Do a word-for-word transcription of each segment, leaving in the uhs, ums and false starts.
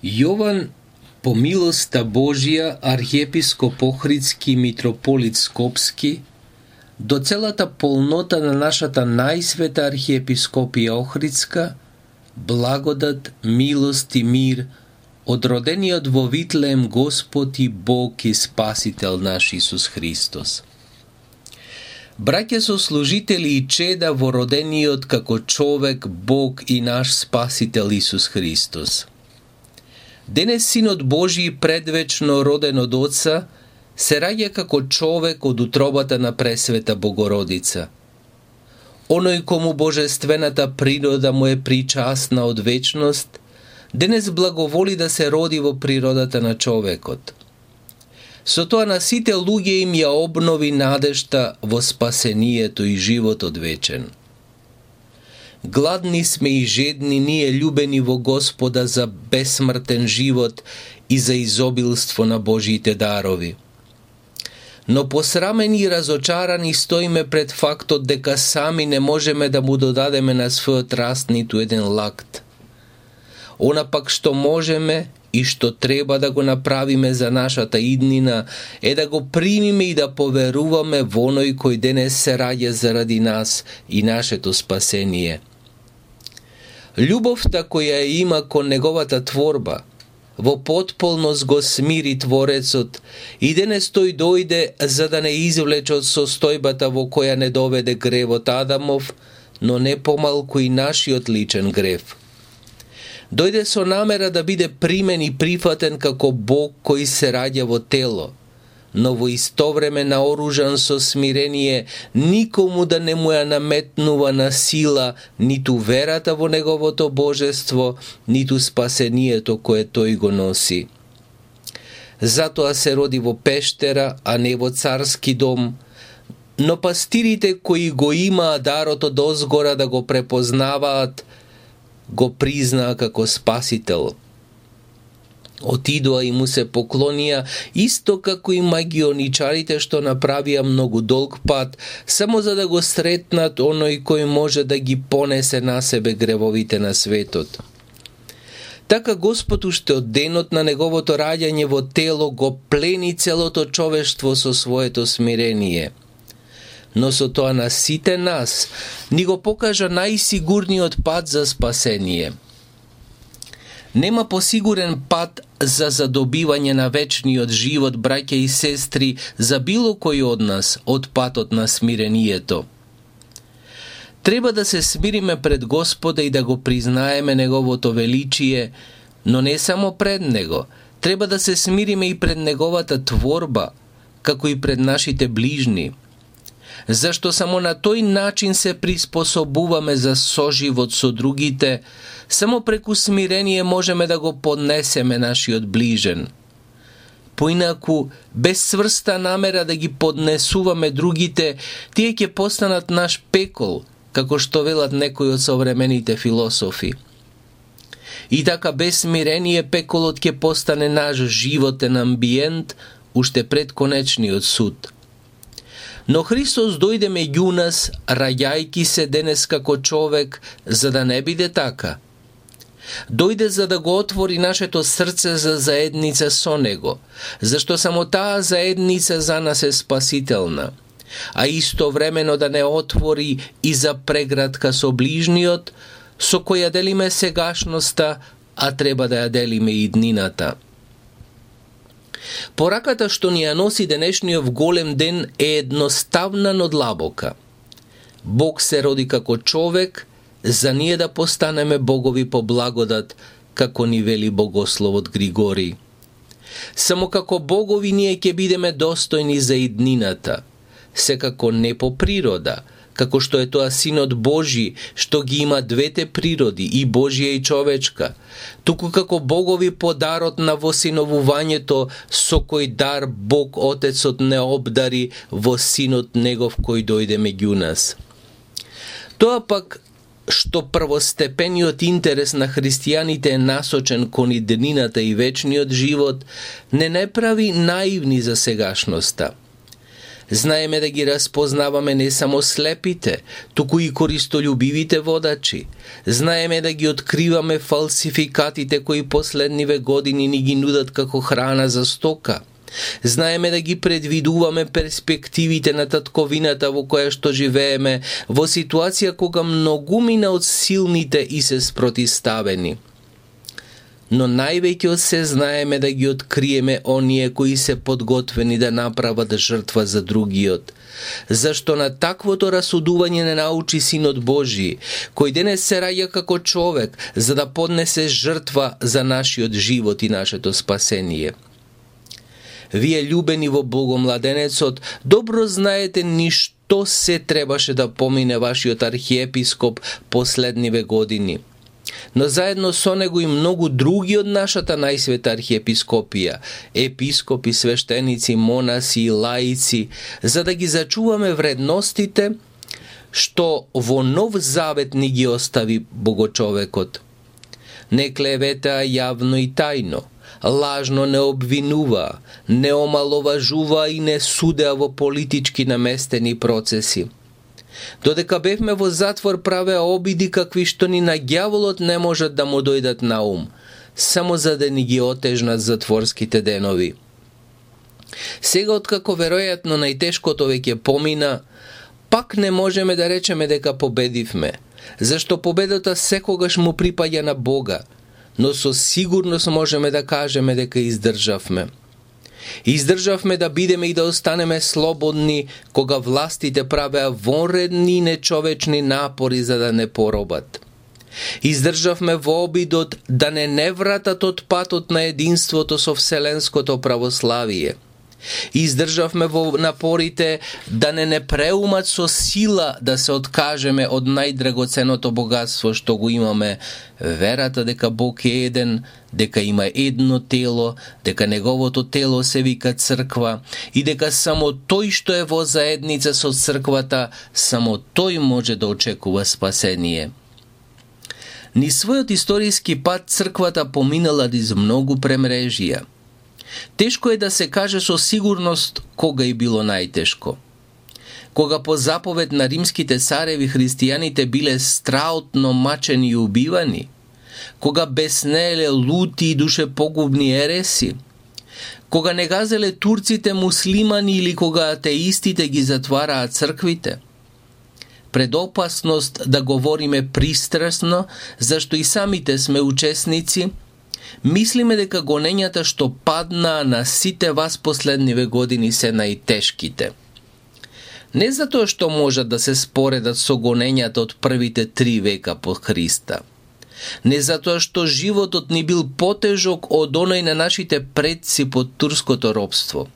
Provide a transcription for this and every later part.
Јован, по милоста Божија, архиепископ Охридски, митрополит Скопски, до целата полнота на нашата најсвета архиепископија Охридска, благодат, милост и мир од родениот во Витлеем Господ и Бог и Спасител наш Исус Христос. Браќа сослужители и чеда во родениот како човек Бог и наш Спасител Исус Христос. Денес Синот Божи, предвечно роден од Отца, се раѓа како човек од утробата на Пресвета Богородица. Оној кому божествената природа му е причасна од вечност, денес благоволи да се роди во природата на човекот. Со тоа на сите луѓе им ја обнови надежта во спасението и животот вечен. Гладни сме и жедни ние, љубени во Господа, за бесмртен живот и за изобилство на Божиите дарови. Но посрамени и разочарани стоиме пред фактот дека сами не можеме да му додадеме на својот раст ниту еден лакт. Она пак што можеме и што треба да го направиме за нашата иднина е да го примиме и да поверуваме во оној кој денес се раѓа заради нас и нашето спасение. Љубовта која има кон неговата творба, во потполност го смири Творецот и денес тој дојде за да не извлече од состојбата во која не доведе гревот Адамов, но не помалку и нашиот личен грев. Дојде со намера да биде примен и прифатен како Бог кој се раѓа во тело, но во исто време наоружан со смирение, никому да не му ја наметнува на сила ниту верата во неговото божество, ниту спасението кое тој го носи. Затоа се роди во пештера, а не во царски дом, но пастирите кои го имаа дарот од озгора да го препознаваат, го признаа како Спасител. Отидоа и му се поклонија, исто како и магионичарите што направија многу долг пат, само за да го сретнат оној кој може да ги понесе на себе гревовите на светот. Така Господ уште од денот на неговото раѓање во тело го плени целото човештво со своето смирение. Но со тоа на сите нас ни го покажа најсигурниот пат за спасение. Нема посигурен пат за задобивање на вечниот живот, браќа и сестри, за било кој од нас, од патот на смирението. Треба да се смириме пред Господа и да го признаеме Неговото величие, но не само пред Него, треба да се смириме и пред Неговата творба, како и пред нашите ближни. Зашто само на тој начин се приспособуваме за соживот со другите, само преку смирение можеме да го поднесеме нашиот ближен. Поинаку, без сврста намера да ги поднесуваме другите, тие ќе постанат наш пекол, како што велат некои од современите философи. И така без смирение пеколот ќе постане наш животен амбиент, уште пред конечниот суд. Но Христос дојде меѓу нас, раѓајки се денес како човек, за да не биде така. Дојде за да го отвори нашето срце за заедница со Него, зашто само таа заедница за нас е спасителна, а истовремено да не отвори и за преградка со ближниот, со која делиме сегашноста, а треба да ја делиме и иднината. Пораката што ни ја носи денешниот голем ден е едноставна, но длабока. Бог се роди како човек, за ние да постанеме богови по благодат, како ни вели богословот Григорий. Само како богови ние ќе бидеме достојни за иднината, секако не по природа, како што е тоа Синот Божи, што ги има двете природи, и Божија и човечка, туку како богови по дарот на восиновувањето, со кој дар Бог Отецот не обдари во Синот Негов кој дојде меѓу нас. Тоа пак што првостепениот интерес на христијаните е насочен кон иднината и вечниот живот, не не прави наивни за сегашноста. Знаеме да ги распознаваме не само слепите, туку и користолюбивите водачи. Знаеме да ги откриваме фалсификатите кои последниве години ни ги нудат како храна за стока. Знаеме да ги предвидуваме перспективите на татковината во која што живееме, во ситуација кога многумина од силните и се спротиставени. Но највеќе од се знаеме да ги откриеме оние кои се подготвени да направат жртва за другиот. Зашто на таквото расудување не научи Синот Божи, кој денес се раѓа како човек, за да поднесе жртва за нашиот живот и нашето спасение. Вие, љубени во Богомладенецот, добро знаете ни што се требаше да помине вашиот архиепископ последниве години. Но заедно со него и многу други од нашата најсвета архиепископија, епископи, свештеници, монаси и лаици, за да ги зачуваме вредностите што во Нов Завет ни ги остави Богочовекот. Не клевета јавно и тајно, лажно не обвинува, не омаловажува и не судеа во политички наместени процеси. Додека бевме во затвор правеа обиди какви што ни на ѓаволот не можат да му дојдат на ум, само за да ни ги отежнат затворските денови. Сега, откако веројатно најтешкото веќе помина, пак не можеме да речеме дека победивме, зашто победата секогаш му припаѓа на Бога, но со сигурност можеме да кажеме дека издржавме. Издржавме да бидеме и да останеме слободни кога властите правеа вонредни и нечовечни напори за да не поробат. Издржавме во обидот да не не вратат од патот на единството со вселенското православие. Издржавме во напорите да не не преумат со сила да се откажеме од најдрагоценото богатство што го имаме, верата дека Бог е еден, дека има едно тело, дека неговото тело се вика црква и дека само тој што е во заедница со црквата, само тој може да очекува спасение. Ни својот историски пат црквата поминала низ многу премрежија. Тешко е да се каже со сигурност кога е било најтешко. Кога по заповед на римските цареви христијаните биле страутно мачени и убивани, кога беснееле лути и душепогубни ереси, кога не газеле турците муслимани или кога атеистите ги затвараат црквите. Пред опасност да говориме пристрасно, зашто и самите сме учесници, мислиме дека гонењата што паднаа на сите вас последниве години се најтешките. Не затоа што можат да се споредат со гонењата од првите три века по Христа. Не затоа што животот ни бил потежок од оној на нашите предци под турското робство.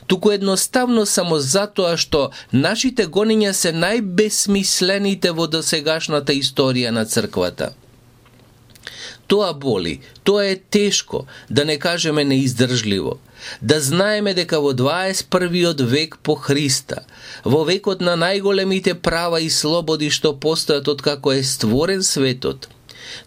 Туку едноставно само затоа што нашите гонења се најбесмислените во досегашната историја на црквата. Тоа боли, тоа е тешко, да не кажеме неиздржливо. Да знаеме дека во дваесет и првиот век по Христа, во векот на најголемите права и слободи што постојат откако е створен светот,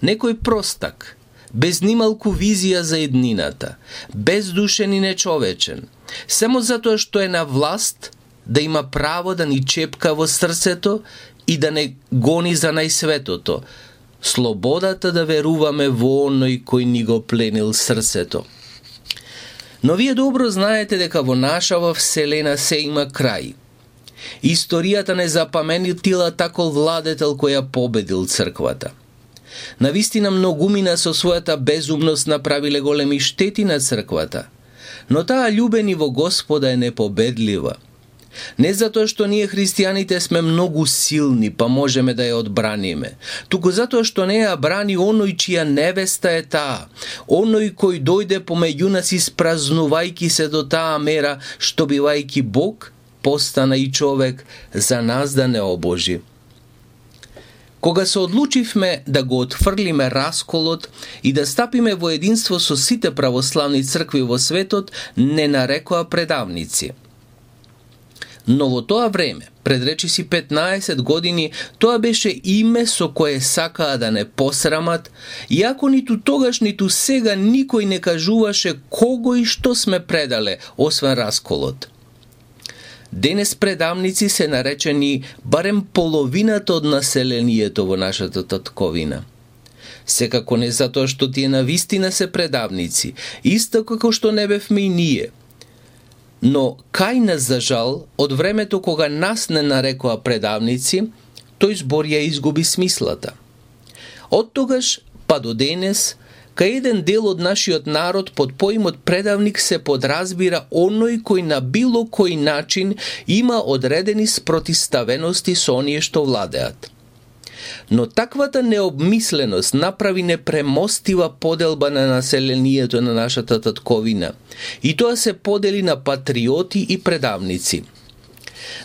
некој простак, без нималку визија за еднината, бездушен и нечовечен, само затоа што е на власт, да има право да ни чепка во срцето и да не гони за најсветото, слободата да веруваме во оној кој ни го пленил срцето. Но вие добро знаете дека во нашава вселена се има крај. Историјата не запаметила такол владетел кој ја победил црквата. Навистина многумина со својата безумност направиле големи штети на црквата, но таа љубени во Господа е непобедлива. Не затоа што ние христијаните сме многу силни, па можеме да ја одбраниме, туку затоа што не ја брани оној чија невеста е таа, оној кој дојде помеѓу нас испразнувајки се до таа мера, што бивајки Бог, постана и човек за нас да не обожи. Кога се одлучивме да го отфрлиме расколот и да стапиме во единство со сите православни цркви во светот, не нарекоа предавници. Но во тоа време, пред речиси петнаесет години, тоа беше име со кое сакаа да не посрамат, иако ниту тогаш, ниту сега никој не кажуваше кого и што сме предале, освен расколот. Денес предавници се наречени барем половината од населението во нашата татковина. Секако не затоа што тие навистина се предавници, исто како што не бевме и ние. Но кај нас, за жал, од времето кога нас не нарекоа предавници, тој збор ја изгуби смислата. Од тогаш па до денес, кај еден дел од нашиот народ под поимот предавник се подразбира оној кој на било кој начин има одредени спротиставености со оние што владеат. Но таквата необмисленост направи непремостива поделба на населението на нашата татковина, и тоа се подели на патриоти и предавници.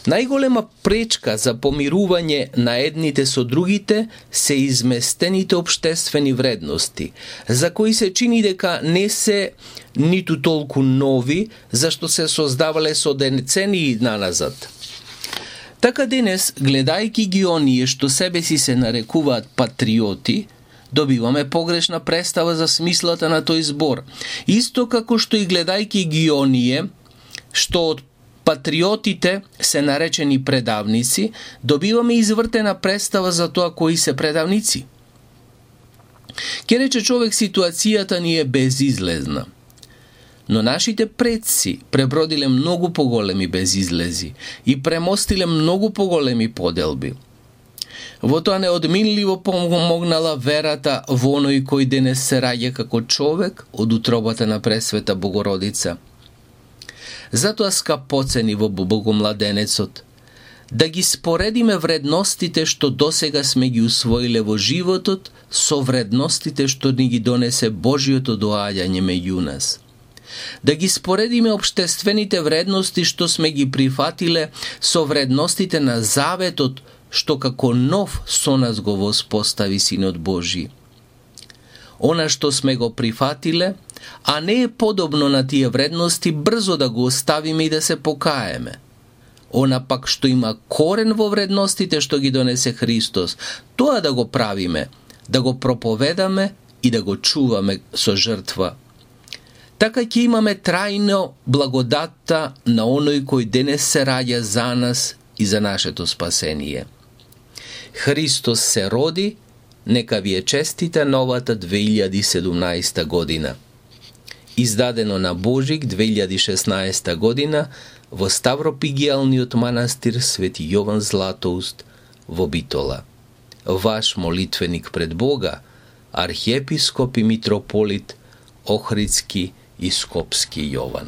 Најголема пречка за помирување на едните со другите се изместените општествени вредности, за кои се чини дека не се ниту толку нови, зашто се создавале со децении наназад. Така денес, гледајќи ги оние што себе си се нарекуваат патриоти, добиваме погрешна представа за смислата на тој збор. Исто како што и гледајќи ги оние што од патриотите се наречени предавници, добиваме извртена представа за тоа кои се предавници. Ке рече човек, ситуацијата ни е безизлезна. Но нашите предци пребродиле многу поголеми безизлези и премостиле многу поголеми поделби. Во тоа неодминливо помогнала верата во оној кој денес се раѓа како човек од утробата на Пресвета Богородица. Затоа, скапоцени во Богомладенецот, да ги споредиме вредностите што досега сме ги усвоиле во животот со вредностите што ни ги донесе Божиото доаѓање меѓу нас. Да ги споредиме општествените вредности што сме ги прифатиле со вредностите на заветот што како нов со нас го воспостави Синот Божи. Она што сме го прифатиле, а не е подобно на тие вредности, брзо да го оставиме и да се покаеме. Она пак што има корен во вредностите што ги донесе Христос, тоа да го правиме, да го проповедаме и да го чуваме со жртва. Така ќе имаме трајно благодатта на оној кој денес се раѓа за нас и за нашето спасение. Христос се роди, нека ви е честита новата две илјади и седумнаесета година. Издадено на Божик две илјади и шеснаесета година во Ставропигијалниот манастир Свети Јован Златоуст во Битола. Ваш молитвеник пред Бога, архиепископ и митрополит Охридски и Скопски Јован.